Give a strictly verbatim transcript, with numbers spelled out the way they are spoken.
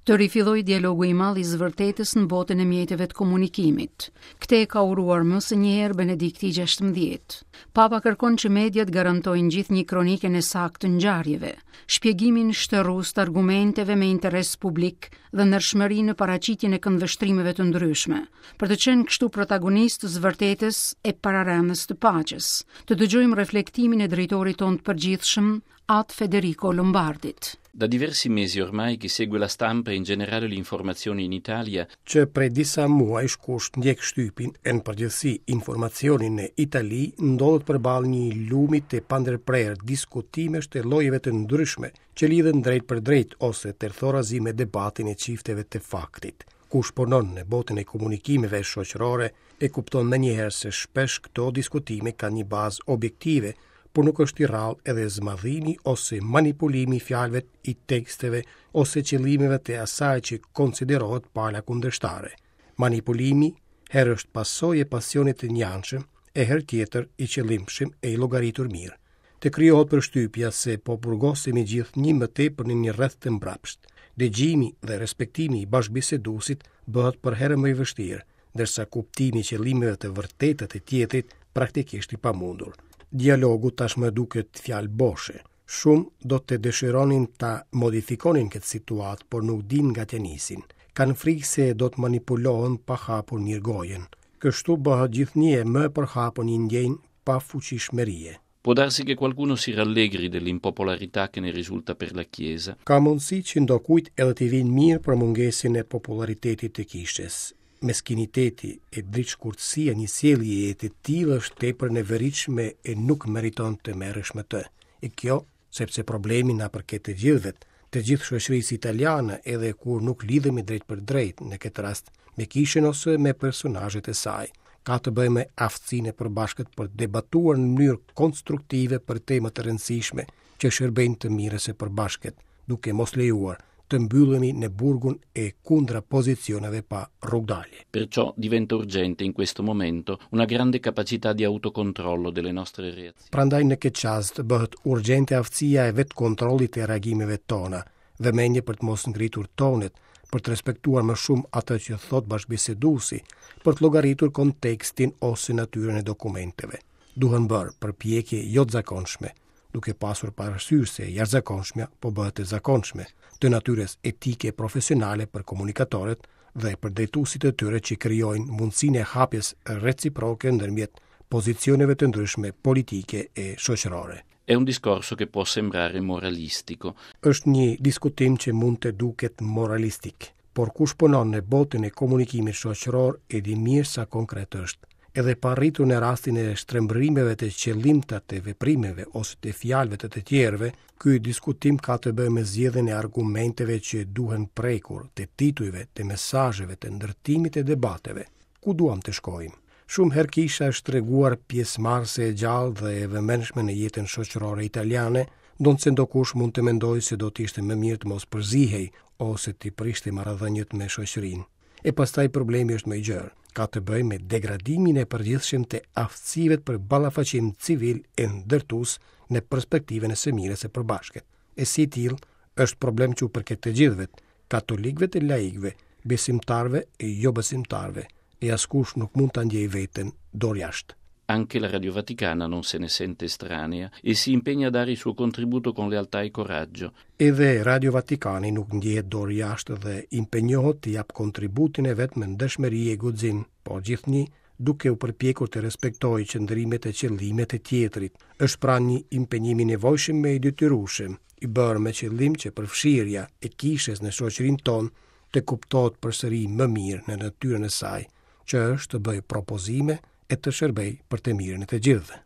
Të rifillojë dialogu i madh i së vërtetës në botën e mjeteve të komunikimit. Këtë e ka uruar më se një herë Benedikti gjashtëmbëdhjetë. Papa kërkon që mediat garantojnë gjithnjë kronikën e saktë të ngjarjeve, shpjegimin shterues të argumenteve me interes publik dhe ndershmërinë në paraqitjen e këndvështrimeve të ndryshme, për të qenë kështu protagonistë të së vërtetës e pararendës të paqes. Të dëgjojmë reflektimin e drejtorit tonë të përgjithshëm, At Federico Lombardit. Da diversi mesi ormai chi segue la stampa e in generale l'informazione in Italia Që prej disa muajsh, kush ndjek shtypin e në përgjithësi informacionin në Itali, ndodhet përballë një lumi të pandërprerë diskutimesh të llojeve të ndryshme që lidhen drejt për drejt ose tërthorazi me debatin e çifteve të faktit. Kush punon në botën e komunikimeve shoqërore e kupton menjëherë se shpesh këto diskutime kanë një bazë objektive, por nuk është i rrallë edhe zmadhimi ose manipulimi i fjalëve, i teksteve ose qëllimeve të asaj që konsiderohet pala kundërshtare. Manipulimi herë është pasojë e pasionit të njanshëm, e herë tjetër i qëllimshëm e i llogaritur mirë. Të krijohet përshtypja se po burgosemi gjithnjë më tepër në një rreth të mbrapsht. Dëgjimi dhe respektimi i bashkëbiseduesit bëhet përherë më i vështirë, ndërsa kuptimi i qëllimeve të vërteta të tjetrit praktikisht i pamundur. Dialogu tashmë duket fjalë boshe. Shumë do të dëshironin ta modifikonin këtë situatë, por nuk dinë nga t'ia nisin. Kanë frikë se do të manipulohen pa hapur mirë gojën. Kështu bëhet gjithnjë e më e përhapur një ndjenjë pafuqishmërie. Può darsi che qualcuno si rallegri dell'impopolarità che ne risulta per la Chiesa. Ka mundësi që ndokujt edhe t'i vinë mirë për mungesën e popularitetit të kishës. Meskiniteti e dritëshkurtësia një sjelljeje të tillë është tepër neveritshme e nuk meriton të merresh me të. E kjo sepse problemi na përket të gjithëve, të gjithë shoqërisë italiane, edhe kur nuk lidhemi drejt për drejt në këtë rast me kishën ose me personazhet e saj. Ka të bëjë me aftësinë e përbashkët për të debatuar në mënyrë konstruktive për tema të rëndësishme që shërbejnë të mirës së përbashkët, duke mos lejuar të mbyllemi në burgun e kontrapozicioneve pa rrugdalje. Perciò diventa urgente in questo momento una grande capacità di autocontrollo delle nostre reazioni. Prandaj në këtë çast bëhet urgjente aftësia e vetëkontrollit të reagimeve tona, vëmendje për të mos ngritur tonet, për të respektuar më shumë atë që thot bashkëbiseduesi, për të llogaritur kontekstin ose natyrën e dokumenteve. Duhen bërë përpjekje jo të zakonshme, duke pasur parasysh se jashtëzakonshmja po bëhet e zakonshme, të natyrës etike e profesionale për komunikatorët dhe për drejtuesit e tyre që krijojnë mundësinë e hapjes reciproke ndërmjet pozicioneve të ndryshme politike e shoqërore. È un discorso che può sembrare moralistico. Është një diskutim që mund të duket moralistik, por kush punon në botën e komunikimit shoqëror e di mirë sa konkret është. Edhe pa arritur në rastin e shtrembërimeve të qëllimta të veprimeve ose të fjalëve të të tjerëve, ky diskutim ka të bëjë me zgjedhjen e argumenteve që duhen prekur, të titujve, të mesazheve, të ndërtimit të debateve. Ku duam të shkojmë? Shumë herë kisha është treguar pjesëmarrëse e gjallë dhe e vëmendshme në jetën shoqërore italiane, ndonëse ndokush mund të mendojë se do të ishte më mirë të mos përzihej ose të prishte marrëdhëniet me shoqërinë. E pastaj problemi është më i gjerë. Ka të bëjë me degradimin e përgjithshëm të aftësive për ballafaqim civil e ndërtues në perspektivën e së mirës së përbashkët. E si i tillë, është problem që u përket të gjithëve, katolikëve të laikëve, besimtarëve e jo besimtarëve, e askush nuk mund ta ndjejë veten dorë jashtë. Anche la Radio Vaticana non se ne sente estranea e si impegna a dare il suo contributo con lealtà e coraggio. Edhe Radio Vatikani nuk ndjehet dorë jashtë dhe impenjohet të jap kontributin e vet me ndershmëri e guxim, por gjithnjë duke u përpjekur të respektojë qëndrimet e qëllimet e tjetrit. Është pra një impenjim i nevojshëm e i detyrueshëm, i bërë me qëllim që përfshirja e kishës në shoqërinë tonë të kuptohet përsëri më mirë në natyrën e saj, që është të bëjë propozime e të shërbej për të mirën e të gjithëve.